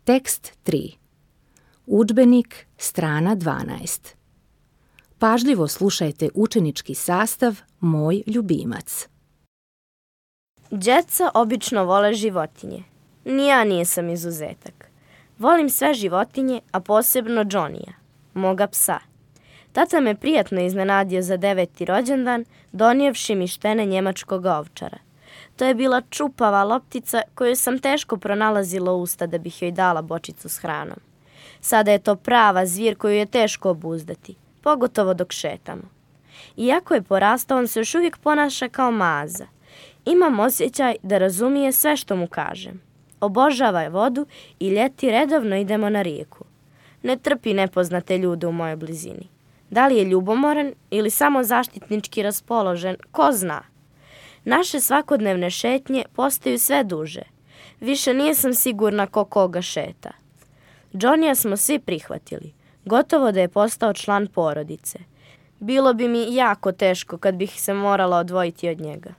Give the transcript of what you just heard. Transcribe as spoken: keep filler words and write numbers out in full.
Tekst tri. Udžbenik, strana dvanaest. Pažljivo slušajte učenički sastav Moj ljubimac. Djeca obično vole životinje. Ni ja nisam izuzetak. Volim sve životinje, a posebno Johnnyja, moga psa. Tata me prijatno iznenadio za deveti rođendan, donijevši mi štene njemačkog ovčara. To je bila čupava loptica koju sam teško pronalazila u usta da bih joj dala bočicu s hranom. Sada je to prava zvir koju je teško obuzdati, pogotovo dok šetamo. Iako je porastao, on se još uvijek ponaša kao maza. Imam osjećaj da razumije sve što mu kažem. Obožava vodu i ljeti redovno idemo na rijeku. Ne trpi nepoznate ljude u mojoj blizini. Da li je ljubomoran ili samo zaštitnički raspoložen, ko zna. Naše svakodnevne šetnje postaju sve duže. Više nisam sigurna ko koga šeta. Johnnyja smo svi prihvatili. Gotovo da je postao član porodice. Bilo bi mi jako teško kad bih se morala odvojiti od njega.